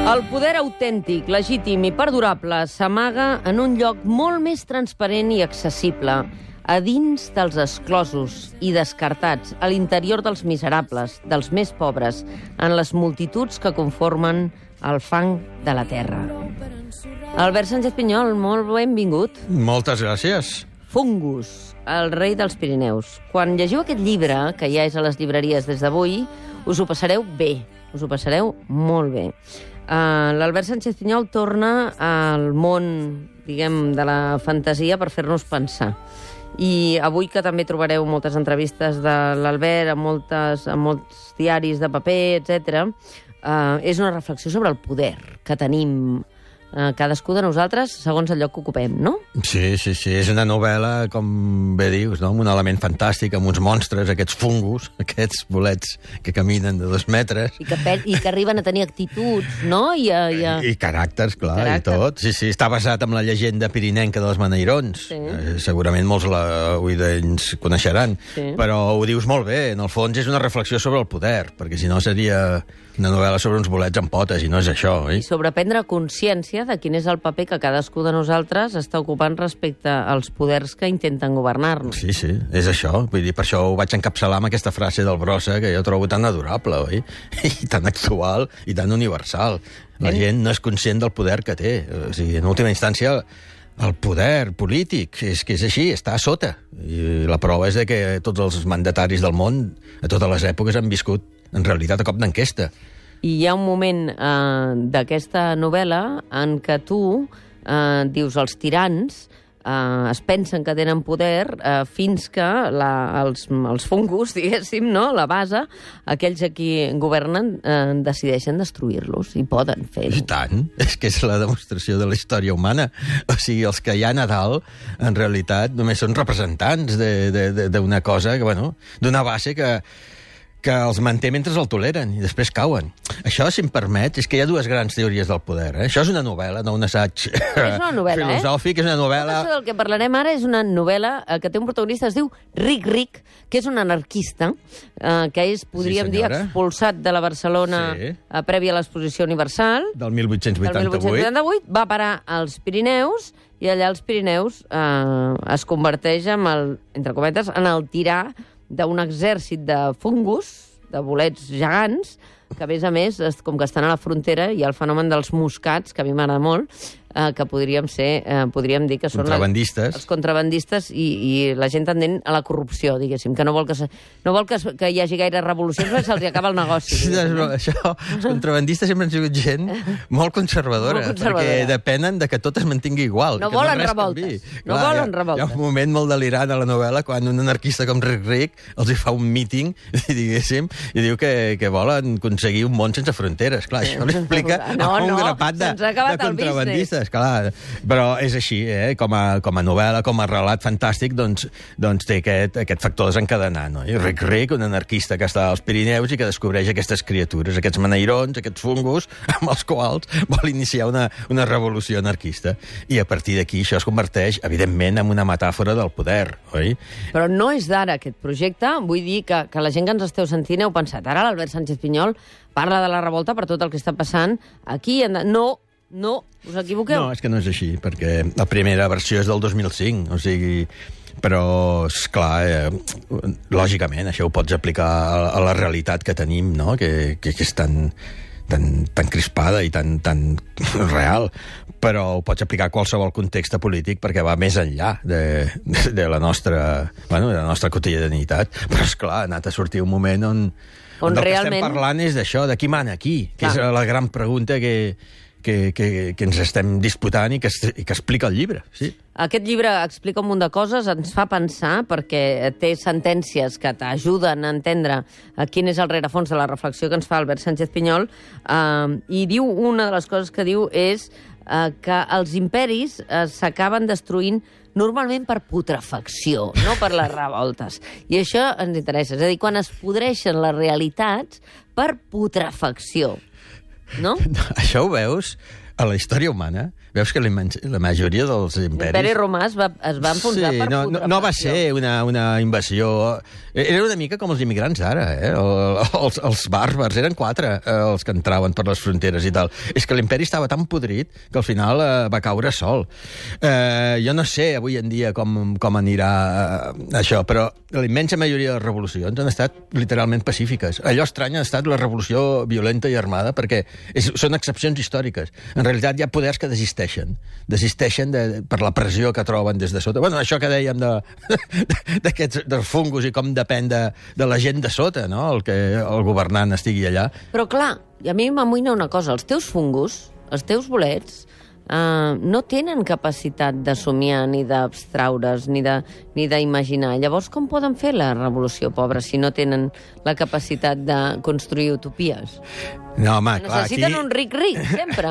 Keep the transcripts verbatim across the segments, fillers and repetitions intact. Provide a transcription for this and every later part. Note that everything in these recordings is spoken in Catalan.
El poder autèntic, legítim i perdurable s'amaga en un lloc molt més transparent i accessible, a dins dels exclosos i descartats, a l'interior dels miserables, dels més pobres, en les multituds que conformen el fang de la terra. Albert Sánchez Pinyol, molt benvingut. Moltes gràcies. Fungus, el rei dels Pirineus. Quan llegiu aquest llibre, que ja és a les llibreries des d'avui, us ho passareu bé, us ho passareu molt bé. Uh, L'Albert Sánchez Pinyol torna al món, diguem, de la fantasia per fer-nos pensar. I avui, que també trobareu moltes entrevistes de l'Albert a, moltes, a molts diaris de paper, etcètera, uh, és una reflexió sobre el poder que tenim uh, cadascú de nosaltres segons el lloc que ocupem, no? Sí, sí, sí. És una novel·la, com bé dius, no? Amb un element fantàstic, amb uns monstres, aquests fungus, aquests bolets que caminen de dos metres. I que, i que arriben a tenir actituds, no? I, a, i, a... I, i caràcters, clar, Caràcter. i tot. Sí, sí. Està basat en la llegenda pirinenca dels Maneirons. Sí. Eh, segurament molts la oïdents coneixeran. Sí. Però ho dius molt bé. En el fons és una reflexió sobre el poder, perquè si no seria una novel·la sobre uns bolets amb potes, i no és això, oi? I sobre prendre consciència de quin és el paper que cadascú de nosaltres està ocupant respecte als poders que intenten governar-nos. Sí, sí, és això. Vull dir, per això ho vaig encapçalar amb aquesta frase del Brossa, que jo trobo tan adorable, oi? I tan actual i tan universal. La eh? gent no és conscient del poder que té. O sigui, en última instància, el poder polític, és que és així, està a sota. I la prova és de que tots els mandataris del món, a totes les èpoques, han viscut, en realitat, a cop d'enquesta. I hi ha un moment eh, d'aquesta novel·la en què tu eh, dius els tirans eh, es pensen que tenen poder eh, fins que la, els, els fungus, diguéssim, no? La base, aquells a qui governen eh, decideixen destruir-los i poden fer-ho. I tant, és que és la demostració de la història humana. O sigui, els que hi ha a dalt, en realitat, només són representants d'una cosa, que, bueno, d'una base que que els manté mentre el toleren i després cauen. Això, si em permet, és que hi ha dues grans teories del poder. Eh? Això és una novel·la, no un assaig és una novel·la, filosòfic, eh? és una novel·la... Tot això del que parlarem ara és una novel·la que té un protagonista, es diu Ric Ric, que és un anarquista, eh, que és, podríem sí, dir, expulsat de la Barcelona sí. eh, prèvia a l'Exposició Universal. Del mil vuit-cents vuitanta-vuit. Del mil vuit-cents vuitanta-vuit, va parar als Pirineus, i allà als Pirineus eh, es converteix, en el, entre cometes, en el tirà d'un exèrcit de fungus, de bolets gegants, que, a més a més, com que estan a la frontera, hi ha el fenomen dels moscats, que a mi m'agrada molt, eh, que podríem ser, eh, podríem dir que són contrabandistes. La, els contrabandistes i, i la gent tendent a la corrupció, diguéssim, que no vol que, se, no vol que, que hi hagi gaire revolucions perquè se'ls acaba el negoci. Sí, no, això, els contrabandistes sempre han sigut gent molt conservadora, molt conservadora, perquè depenen de que tot es mantingui igual. No que volen no revoltes. Clar, no volen hi ha, revoltes. Hi ha un moment molt delirant a la novel·la quan un anarquista com Ric Ric els hi fa un míting, diguéssim, i diu que, que volen aconseguir un món sense fronteres. Clar, això l'explica no, un no, grapat de, de contrabandistes. Clar, però és així, eh? com, a, com a novel·la, com a relat fantàstic, doncs, doncs té aquest, aquest factor desencadenant. No? I Ric Ric, un anarquista que està als Pirineus i que descobreix aquestes criatures, aquests maneirons, aquests fungus, amb els quals vol iniciar una, una revolució anarquista. I a partir d'aquí això es converteix, evidentment, en una metàfora del poder, oi? Però no és d'ara aquest projecte. Vull dir que, que la gent que ens esteu sentint heu pensat, ara l'Albert Sánchez Pinyol parla de la revolta per tot el que està passant aquí. No, no, us equivoqueu. No, és que no és així, perquè la primera versió és del dos mil cinc, o sigui... Però, esclar, eh, lògicament, això ho pots aplicar a, a la realitat que tenim, no?, que, que, que és tan, tan, tan crispada i tan, tan real, però ho pots aplicar a qualsevol context polític perquè va més enllà de, de, de, la, nostra, bueno, de la nostra quotidianitat. Però, esclar, ha anat a sortir un moment on, on, on realment... el que estem parlant és d'això, de qui mana aquí, que clar. És la gran pregunta que... Que, que, que ens estem disputant i que, i que explica el llibre. Sí. Aquest llibre explica un munt de coses, ens fa pensar, perquè té sentències que t'ajuden a entendre quin és el rerefons de la reflexió que ens fa Albert Sánchez Pinyol, eh, i diu, una de les coses que diu és eh, que els imperis eh, s'acaben destruint normalment per putrefacció, no per les revoltes. I això ens interessa, és a dir, quan es podreixen les realitats per putrefacció. No? Això ho veus a la història humana, veus que la, la majoria dels imperis... L'imperi romà es va, es va enfonsar sí, per no, no, no va ser una, una invasió... Era una mica com els immigrants ara, eh? El, els, els bàrbars, eren quatre els que entraven per les fronteres i tal. És que l'imperi estava tan podrit que al final eh, va caure sol. Eh, jo no sé avui en dia com, com anirà eh, això, però la immensa majoria de les revolucions han estat literalment pacífiques. Allò estrany ha estat la revolució violenta i armada perquè és, són excepcions històriques. En realitat hi ha poders que desisteixen. Desisteixen de, per la pressió que troben des de sota. Bueno, això que dèiem de, d'aquests dels fungos i com depèn de, de la gent de sota, no? El que el governant estigui allà. Però clar, a mi m'amoïna una cosa. Els teus fungos, els teus bolets, Uh, no tenen capacitat de somiar ni d'abstraure's ni de, ni d'imaginar. Llavors, com poden fer la revolució, pobra, si no tenen la capacitat de construir utopies? No, home, clar, necessiten aquí... un ric-ric, sempre.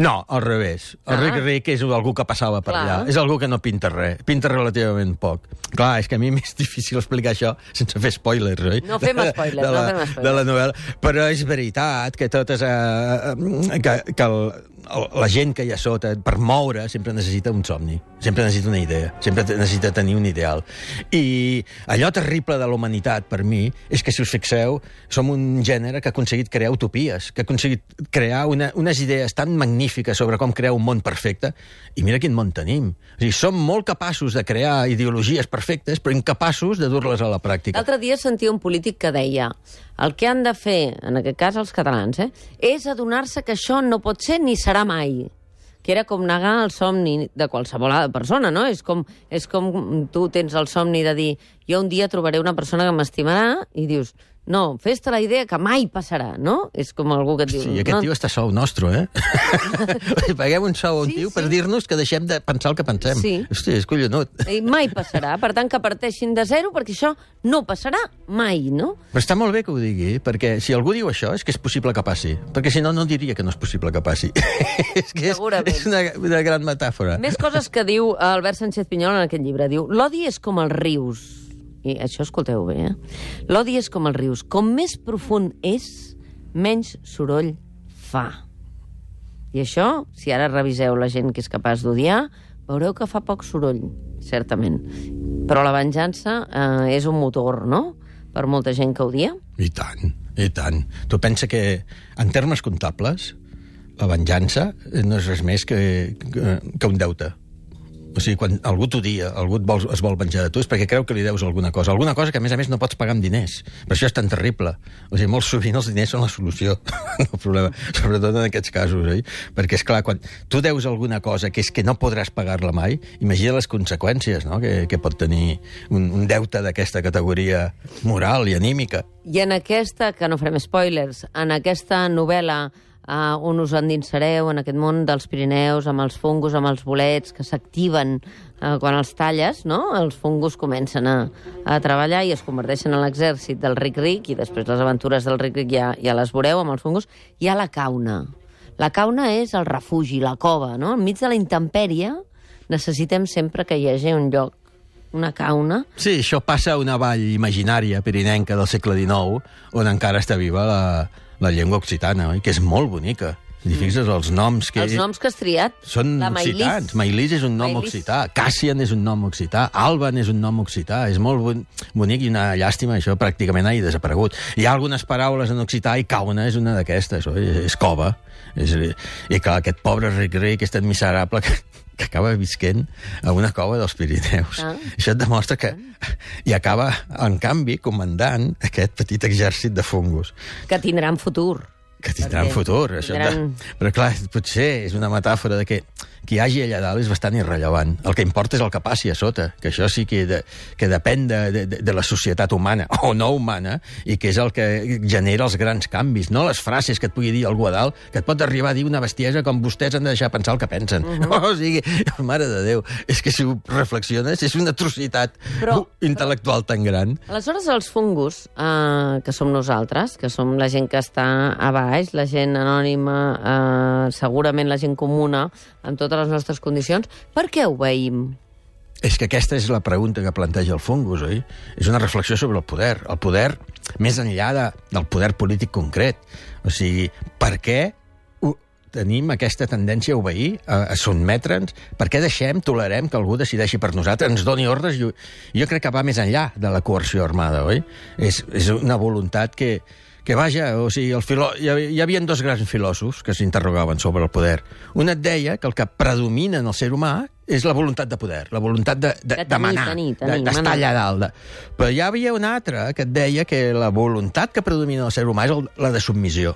No, al revés. El ah. ric-ric és algú que passava per clar. allà. És algú que no pinta res. Pinta relativament poc. Clar, és que a mi m'és difícil explicar això sense fer spoilers, oi? No fem spoilers, de la, no fem spoilers. De la novel·la. Però és veritat que totes... Eh, que, que el, la gent que hi ha sota, per moure, sempre necessita un somni, sempre necessita una idea, sempre necessita tenir un ideal. I allò terrible de la humanitat, per mi, és que, si us fixeu, som un gènere que ha aconseguit crear utopies, que ha aconseguit crear una, unes idees tan magnífiques sobre com crear un món perfecte, i mira quin món tenim. O sigui, som molt capaços de crear ideologies perfectes, però incapaços de dur-les a la pràctica. L'altre dia sentia un polític que deia el que han de fer, en aquest cas els catalans, eh, és adonar-se que això no pot ser ni serà mai. Que era com negar el somni de qualsevol persona, no? És com, és com tu tens el somni de dir jo un dia trobaré una persona que m'estimarà i dius, no, fes-te la idea que mai passarà, no? És com algú que et diu... Sí, aquest no? tio està sou nostre, eh? Paguem un sou a un sí, tio sí. per dir-nos que deixem de pensar el que pensem. Sí. Hòstia, és collonut. I mai passarà, per tant que parteixin de zero perquè això no passarà mai, no? Però està molt bé que ho digui, perquè si algú diu això és que és possible que passi, perquè si no, no diria que no és possible que passi. És que és, és una, una gran metàfora. Més coses que diu Albert Sánchez Pinyol en aquest llibre. Diu, l'odi és com els rius. I això escolteu bé, eh? L'odi és com els rius. Com més profund és, menys soroll fa. I això, si ara reviseu la gent que és capaç d'odiar, veureu que fa poc soroll, certament. Però la venjança eh, és un motor, no?, per molta gent que odia. I tant, i tant. Tu pensa que, en termes comptables, la venjança no és res més que, que, que un deute. O sigui, quan algú t'odia, algú et vol, es vol venjar de tu, és perquè creu que li deus alguna cosa. Alguna cosa que, a més a més, no pots pagar amb diners. Per això és tan terrible. O sigui, molt sovint els diners són la solució. No el problema. Sobretot en aquests casos, oi? Perquè, és clar, quan tu deus alguna cosa que és que no podràs pagar-la mai, imagina les conseqüències, no?, que, que pot tenir un, un deute d'aquesta categoria moral i anímica. I en aquesta, que no farem spoilers, en aquesta novel·la Uh, on us endinsareu en aquest món dels Pirineus, amb els fungos, amb els bolets, que s'activen uh, quan els talles, no? Els fungos comencen a, a treballar i es converteixen en l'exèrcit del ric-ric, i després les aventures del ric-ric ja, ja les veureu amb els fungos. Hi ha la cauna. La cauna és el refugi, la cova, no? Enmig de la intempèrie necessitem sempre que hi hagi un lloc, una cauna. Sí, això passa a una vall imaginària pirinenca del segle dinou, on encara està viva la... la llengua occitana, oi? Que és molt bonica. I fixes, els noms que... Els noms que has triat. Són la occitans. Maïlis és un nom Maïlis. occità. Cassian és un nom occità. Alban és un nom occità. És molt bon... bonic i una llàstima, això pràcticament ha desaparegut. Hi ha algunes paraules en occità i cauna és una d'aquestes, oi? És cova. És... I clar, aquest pobre ric-ric és tan miserable que... que acaba visquent a una cova dels Pirineus. Ah. Això et demostra que... I acaba, en canvi, comandant aquest petit exèrcit de fungos. Que tindran futur. Que tindran Perquè futur. Això tindran... de... Però clar, potser és una metàfora de que qui hi hagi allà dalt és bastant irrellevant. El que importa és el que passi a sota, que això sí que, de, que depèn de, de, de la societat humana, o no humana, i que és el que genera els grans canvis, no les frases que et pugui dir algú a dalt, que et pot arribar a dir una bestiesa com vostès han de deixar pensar el que pensen. Uh -huh. O sigui, mare de Déu, és que si ho reflexiones és una atrocitat però, intel·lectual tan gran. Aleshores, els fungos, eh, que som nosaltres, que som la gent que està a baix, la gent anònima, eh, segurament la gent comuna, amb totes les nostres condicions, per què obeïm? És que aquesta és la pregunta que planteja el fungus, oi? És una reflexió sobre el poder. El poder, més enllà de, del poder polític concret. O sigui, per què tenim aquesta tendència a obeir, a, a sotmetre'ns. Per què deixem, tolerem que algú decideixi per nosaltres, ens doni ordres? Jo, jo crec que va més enllà de la coerció armada, oi? És, és una voluntat que, que vaja, o sigui, el filò... hi, havia, hi havia dos grans filòsofs que s'interrogaven sobre el poder. Un et deia que el que predomina en el ser humà és la voluntat de poder, la voluntat de, de, de, de manar, d'estar allà dalt. De... Però hi havia un altre que et deia que la voluntat que predomina en el ser humà és el, la de submissió.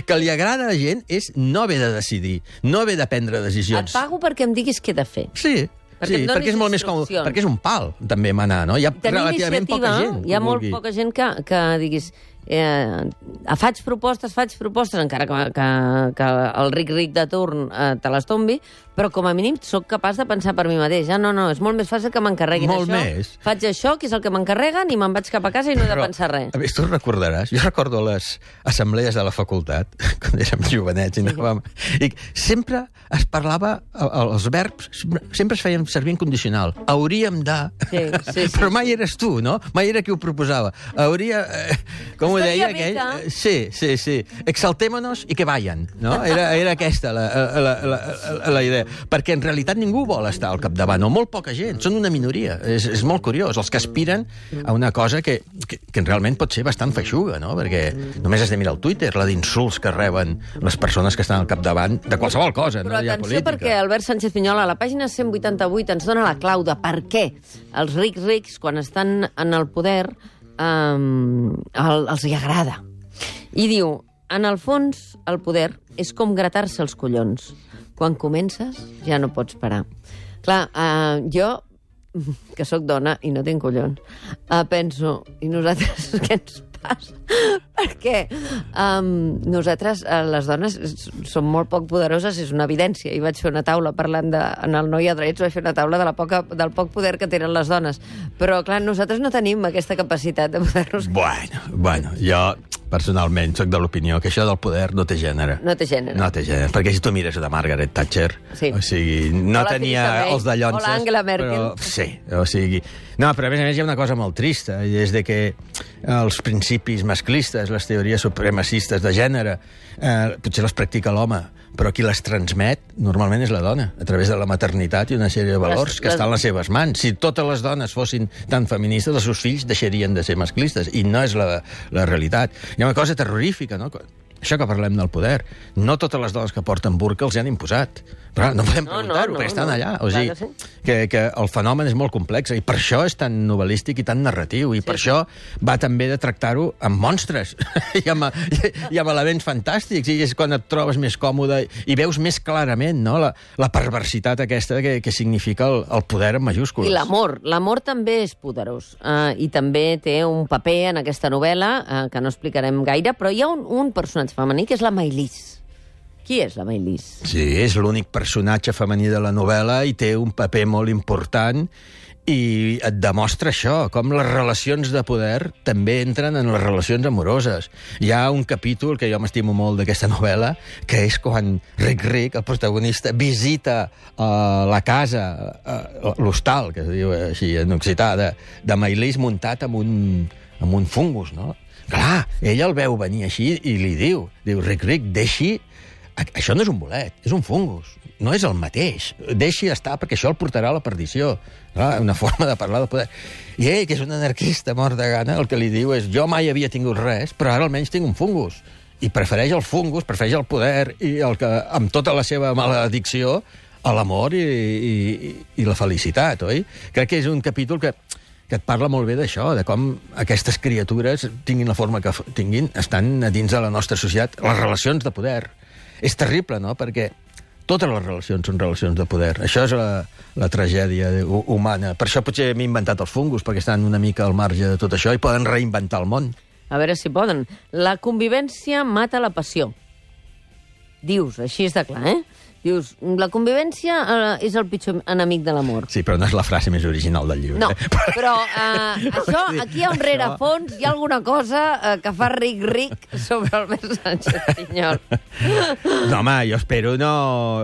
Que li agrada a la gent és no haver de decidir, no haver de prendre decisions. Et pago perquè em diguis què he de fer. Sí, perquè, sí, perquè és molt més còmode, perquè és un pal, també, manar, no? Hi ha Tenir relativament poca gent. Hi ha molt poca gent que, que diguis... Eh, faig propostes, faig propostes, encara que, que, que el ric-ric de turn eh, te les tombi, però com a mínim sóc capaç de pensar per mi mateix. Ah, no, no, és molt més fàcil que m'encarreguin molt això. Més. Faig això, que és el que m'encarreguen, i me'n vaig cap a casa i no he de però, pensar res. A més, tu recordaràs, jo recordo les assemblees de la facultat, quan érem jovenets, i, anàvem, i sempre es parlava, els verbs sempre es feien servir en condicional. Hauríem de... Sí, sí, sí. Però mai eres tu, no? Mai era qui ho proposava. Hauria... Eh, com ho deia aquell? Que... Sí, sí, sí. Exaltémonos i que vayan, no? Era, era aquesta la, la, la, la, la idea. Perquè en realitat ningú vol estar al capdavant, o molt poca gent, són una minoria. És, és molt curiós, els que aspiren a una cosa que, que, que realment pot ser bastant feixuga, no? Perquè només has de mirar el Twitter, la d'insults que reben les persones que estan al capdavant de qualsevol cosa, però no hi ha atenció, política. Perquè Albert Sánchez Piñol a la pàgina cent vuitanta-vuit ens dona la clau de per què els rics rics, quan estan en el poder, um, el, els hi agrada. I diu, en el fons, el poder és com gratar-se els collons. Quan comences, ja no pots parar. Clar, uh, jo, que sóc dona i no tinc collons, uh, penso, i nosaltres què ens passa? Perquè um, nosaltres, uh, les dones, som molt poc poderoses, és una evidència. I vaig fer una taula parlant de... En el Noi a Drets vaig fer una taula de la poca, del poc poder que tenen les dones. Però, clar, nosaltres no tenim aquesta capacitat de poder-nos... Bueno, bueno, jo... Personalment, soc de l'opinió que això del poder no té gènere. No té gènere. No té gènere, perquè si tu mires a Margaret Thatcher, sí. O sigui, no Hola, tenia els dallonses... Hola, Angela Merkel. Però, sí, o sigui... No, però a més a més hi ha una cosa molt trista, i és de que els principis masclistes, les teories supremacistes de gènere, eh, potser les practica l'home, però qui les transmet normalment és la dona, a través de la maternitat i una sèrie de valors les, que les... estan a les seves mans. Si totes les dones fossin tan feministes, els seus fills deixarien de ser masclistes, i no és la, la realitat. Hi ha una cosa terrorífica, no? Això que parlem del poder. No totes les dones que porten burca els hi han imposat. Però no podem preguntar-ho, no, no, perquè estan no. allà. O sigui, que, sí. que, que el fenomen és molt complex, i per això és tan novel·lístic i tan narratiu, i sí, per sí. això va també de tractar-ho amb monstres i, amb, i, i amb elements fantàstics, i és quan et trobes més còmode i veus més clarament, no?, la, la perversitat aquesta que, que significa el, el poder en majúscules. I l'amor. L'amor també és poderós, uh, i també té un paper en aquesta novel·la uh, que no explicarem gaire, però hi ha un, un personatge femení que és la Maïlys. Qui és la Maïlys? Sí, és l'únic personatge femení de la novel·la i té un paper molt important, i et demostra això, com les relacions de poder també entren en les relacions amoroses. Hi ha un capítol que jo m'estimo molt d'aquesta novel·la, que és quan Ric Ric, el protagonista, visita uh, la casa, uh, l'hostal, que es diu així en occità, de, de Maïlys, muntat amb un, amb un fungus, no? Clar, ell el veu venir així i li diu, diu, Ric Ric, deixi... Això no és un bolet, és un fungus. No és el mateix. Deixi estar, perquè això el portarà a la perdició. Clar, una forma de parlar del poder. I ell, que és un anarquista mort de gana, el que li diu és, jo mai havia tingut res, però ara almenys tinc un fungus. I prefereix el fungus, prefereix el poder, i el que, amb tota la seva maledicció, a l'amor i, i, i la felicitat, oi? Crec que és un capítol que... que et parla molt bé d'això, de com aquestes criatures, tinguin la forma que tinguin, estan a dins de la nostra societat, les relacions de poder. És terrible, no?, perquè totes les relacions són relacions de poder. Això és la, la tragèdia humana. Per això potser m'he inventat els fungus, perquè estan una mica al marge de tot això i poden reinventar el món. A veure si poden. La convivència mata la passió. Dius, així és de clar, eh? Dius, la convivència eh, és el pitjor enemic de l'amor. Sí, però no és la frase més original del llibre. No, eh? però eh, això, aquí hi ha un rerefons, hi ha alguna cosa eh, que fa ric-ric sobre Albert Sánchez Pinyol. No, home, jo espero no,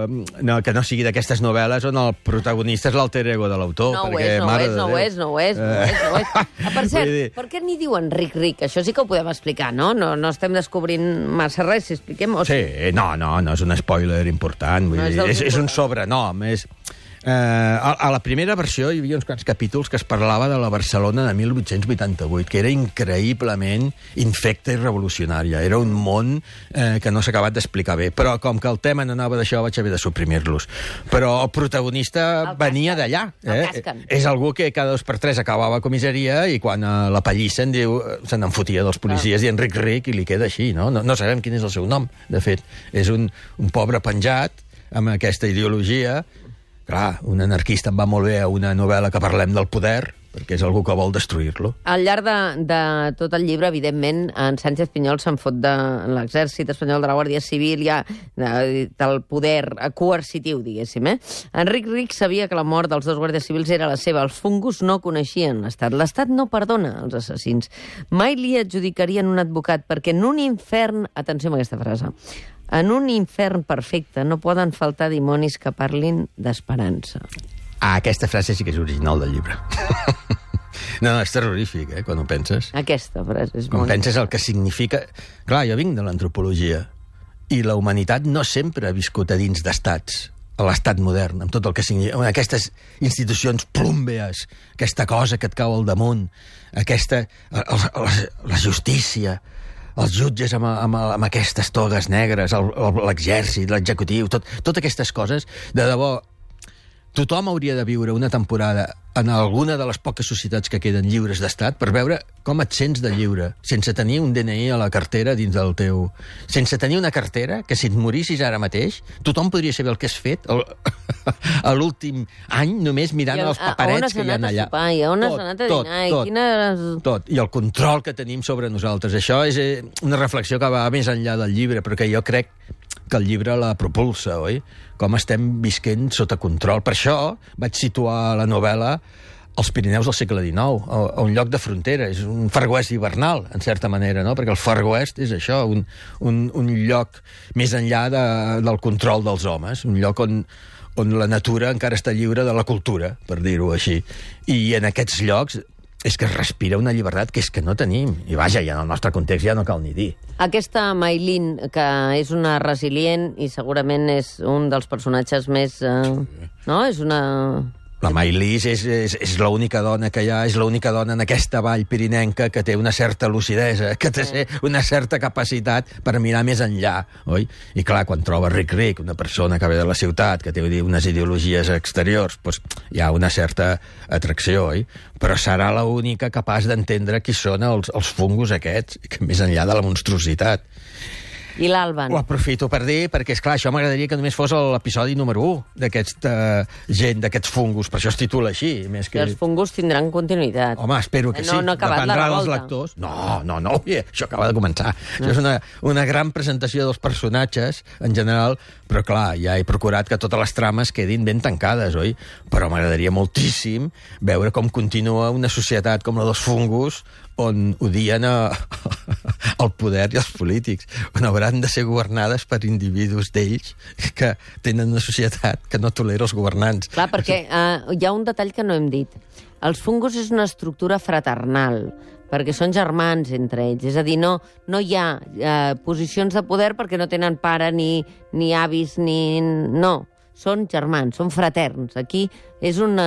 no, que no sigui d'aquestes novel·les on el protagonista és l'alter ego de l'autor. No ho perquè, és, no ho mare és, de no ho Déu. és, no ho és, no ho és, no ho és. Ah, per cert, dir- per què n'hi diuen ric-ric? Això sí que ho podem explicar, no? No, no estem descobrint massa res, si expliquem... O... Sí, no, no, no és un spoiler important. Vull No és dir, dels és, és un importants. sobrenom. És, eh, a, a la primera versió hi havia uns quants capítols que es parlava de la Barcelona de mil vuit-cents vuitanta-vuit, que era increïblement infecta i revolucionària. Era un món eh, que no s'ha acabat d'explicar bé. Però com que el tema no anava d'això, vaig haver de suprimir-los. Però el protagonista El venia casquen. d'allà. El Eh? casquen. És algú que cada dos per tres acabava a comissaria i quan eh, la pallissen diu, se n'en fotia dels policies dient ric ric i li queda així, no? No, no sabem quin és el seu nom, de fet. És un, un pobre penjat amb aquesta ideologia. Clar, un anarquista em va molt bé a una novel·la que parlem del poder, perquè és algú que vol destruir-lo. Al llarg de, de tot el llibre, evidentment, en Sánchez Pinyol se'n fot de l'exèrcit espanyol, de la Guàrdia Civil, ja, de, del poder coercitiu, diguéssim. Eh? Enric Ric sabia que la mort dels dos guàrdies civils era la seva. Els fungus no coneixien l'Estat. L'Estat no perdona els assassins. Mai li adjudicarien un advocat, perquè en un infern... Atenció amb aquesta frase. En un infern perfecte no poden faltar dimonis que parlin d'esperança. Ah, aquesta frase sí que és original del llibre. No, no, és terrorífic, eh, quan ho penses. Aquesta frase és Quan molt... penses el que significa... Clar, jo vinc de l'antropologia i la humanitat no sempre ha viscut a dins d'estats, a l'estat modern, amb tot el que significa... Aquestes institucions plúmbees, aquesta cosa que et cau al damunt, aquesta... La, la, la justícia, els jutges amb, amb, amb aquestes togues negres, l'exèrcit, l'executiu, tot, totes aquestes coses, de debò, tothom hauria de viure una temporada en alguna de les poques societats que queden lliures d'estat per veure com et sents de lliure, sense tenir un D N I a la cartera dins del teu... Sense tenir una cartera que si et morissis ara mateix, tothom podria saber el que has fet el... a l'últim any només mirant els paperets que hi ha allà. Sopar, I on has anat a dinar? Tot, I quines... tot. I el control que tenim sobre nosaltres. Això és eh, una reflexió que va més enllà del llibre, però que jo crec que el llibre la propulsa, oi? Com estem visquent sota control. Per això vaig situar la novel·la als Pirineus del segle dinou, a, a un lloc de frontera. És un Far West hivernal, en certa manera, no? Perquè el Far West és això, un, un, un lloc més enllà de, del control dels homes, un lloc on, on la natura encara està lliure de la cultura, per dir-ho així. I en aquests llocs és que es respira una llibertat que és que no tenim. I vaja, i en el nostre context ja no cal ni dir. Aquesta Maylin, que és una resilient i segurament és un dels personatges més... Eh, no? És una... La Maylís és, és, és l'única dona que hi ha, és l'única dona en aquesta vall pirinenca que té una certa lucidesa, que té sí. una certa capacitat per mirar més enllà, oi? I clar, quan troba Ric Ric, una persona que ve de la ciutat, que té unes ideologies exteriors, doncs hi ha una certa atracció, oi? Però serà l'única capaç d'entendre qui són els, els fungos aquests, que més enllà de la monstruositat. I l'Alban. Ho aprofito per dir, perquè, esclar, això m'agradaria que només fos l'episodi número u d'aquesta gent, d'aquests fungus, per això es titula així. Més que... I els fungus tindran continuïtat. Home, espero que no, sí. No ha acabat la Dependrà revolta. dels lectors. No, no, no, oi, això acaba de començar. No. Això és una, una gran presentació dels personatges, en general, però, clar, ja he procurat que totes les trames quedin ben tancades, oi? Però m'agradaria moltíssim veure com continua una societat com la dels fungus, on odien a, el poder i els polítics, on hauran de ser governades per individus d'ells que tenen una societat que no tolera els governants. Clar, perquè eh, hi ha un detall que no hem dit. Els fungus és una estructura fraternal, perquè són germans entre ells. És a dir, no, no hi ha eh, posicions de poder perquè no tenen pare, ni, ni avis, ni... No, són germans, són fraterns. Aquí és, una,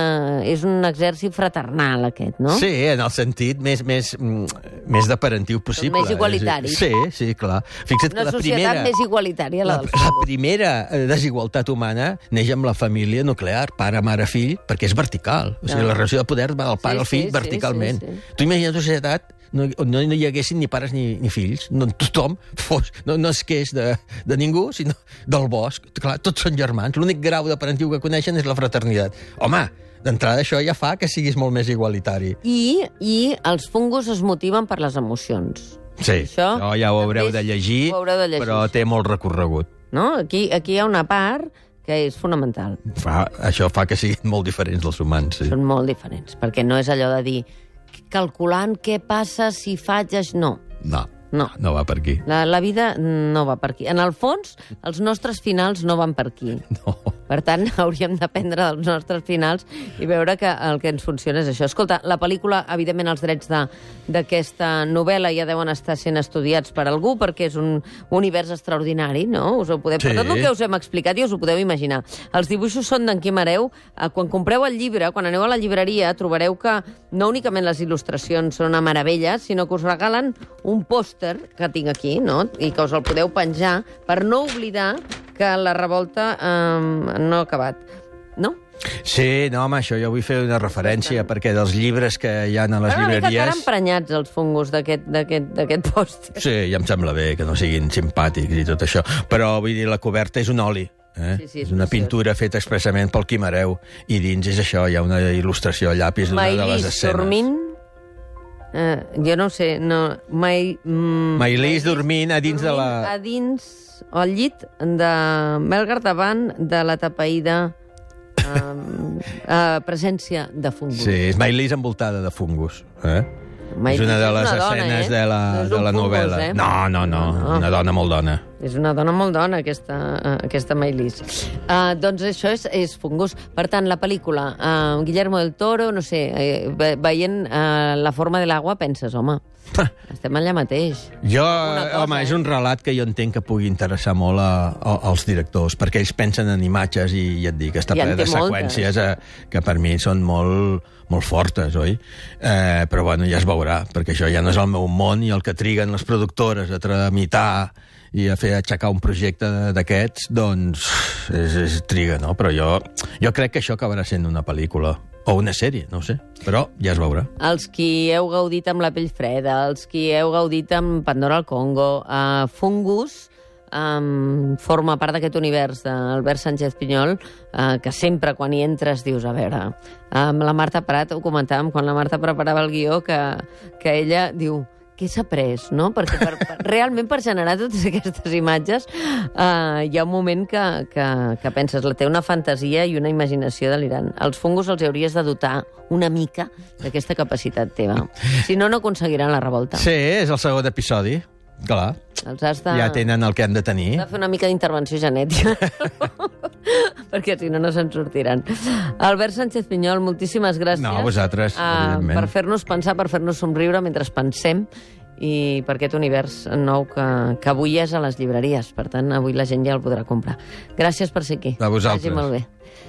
és un exèrcit fraternal, aquest, no? Sí, en el sentit més, més, més de parentiu possible. Més igualitari. Sí, sí, clar. Fixa't Una que la societat primera, més igualitària, la, la, del la fungus. primera desigualtat humana neix amb la família nuclear, pare, mare, fill, perquè és vertical. O sigui, No. la relació de poder va del pare Sí, al fill sí, sí, verticalment. sí, sí. Tu imagina't una societat no, no hi haguessin ni pares ni, ni fills, no, tothom fos, no, no es queix de, de ningú, sinó del bosc. Clar, tots són germans, l'únic grau de parentiu que coneixen és la fraternitat. Home, d'entrada això ja fa que siguis molt més igualitari. I, I els fungus es motiven per les emocions. Sí, Això això ja ho haureu també de llegir, ho haureu de llegir, però té molt recorregut. No? Aquí, aquí hi ha una part que és fonamental. Fa, això fa que siguin molt diferents dels humans, sí. Són molt diferents, perquè no és allò de dir calculant què passa si faig això... No. No. No. No va per aquí. La, la vida no va per aquí. En el fons, els nostres finals no van per aquí. No. Per tant, hauríem d'aprendre dels nostres finals i veure que el que ens funciona és això. Escolta, la pel·lícula, evidentment, els drets d'aquesta novel·la ja deuen estar sent estudiats per algú, perquè és un univers extraordinari, no? Us ho podeu... Sí. Per tot el que us hem explicat ja us ho podeu imaginar. Els dibuixos són d'en Quim Hereu. Quan compreu el llibre, quan aneu a la llibreria, trobareu que no únicament les il·lustracions són una meravella, sinó que us regalen un pòster que tinc aquí, no? I que us el podeu penjar per no oblidar que la revolta eh, no ha acabat, no? Sí, no, home, això jo vull fer una referència, perquè dels llibres que hi ha a les Però una mica llibreries... encara emprenyats els fungos d'aquest pòster. Sí, ja em sembla bé que no siguin simpàtics i tot això, però vull dir, la coberta és un oli. Eh? Sí, sí, és és una preciós. pintura feta expressament pel Quim Hereu, i dins és això, hi ha una il·lustració a llapis d'una de les Maïlis escenes. dormint... Eh, jo no ho sé, no... Mai, mm, Maïlis dormint a dins de la... A dins, o al llit de Melgar davant de la tapaïda eh, eh, presència de fungus. Sí, és Maïlis envoltada de fungus. Eh? Maïlis és una de és les una dona, escenes eh? de la, No és de un la fungus, novel·la. eh? No, no, no, No. una dona molt dona. És una dona molt dona, aquesta, uh, aquesta Maïlis. Uh, doncs això és, és fungus. Per tant, la pel·lícula, uh, Guillermo del Toro, no sé, eh, ve, veient uh, La forma de l'aigua, penses, home, estem allà mateix. Jo, cosa, home, eh? és un relat que jo entenc que pugui interessar molt a, a, als directors, perquè ells pensen en imatges i, ja et dic, està I en ple de té moltes. seqüències eh, que per mi són molt, molt fortes, oi? Eh, però, bueno, ja es veurà, perquè això ja no és el meu món, i el que triguen les productores a tramitar i a fer aixecar un projecte d'aquests, doncs és, és triga, no? Però jo, jo crec que això acabarà sent una pel·lícula o una sèrie, no ho sé, però ja es veurà. Els qui heu gaudit amb La pell freda, els qui heu gaudit amb Pandora al Congo, uh, Fungus, um, forma part d'aquest univers d'Albert Sánchez Pinyol, uh, que sempre quan hi entres dius, a veure, amb la Marta Prat ho comentàvem, quan la Marta preparava el guió, que, que ella diu, què s'ha après, no? Perquè per, per, realment per generar totes aquestes imatges uh, hi ha un moment que, que, que penses, la té una fantasia i una imaginació delirant. Els fungus els hauries de dotar una mica d'aquesta capacitat teva. Si no, no aconseguiran la revolta. Sí, és el segon episodi, clar. Els has de... Ja tenen el que han de tenir. Has de fer una mica d'intervenció genètica. Perquè si no, no se'n sortiran. Albert Sánchez Pinyol, moltíssimes gràcies. No, vosaltres, uh, evidentment. per fer-nos pensar, per fer-nos somriure mentre pensem, i per aquest univers nou que, que avui és a les llibreries. Per tant, avui la gent ja el podrà comprar. Gràcies per ser aquí. A vosaltres. Vagi molt bé.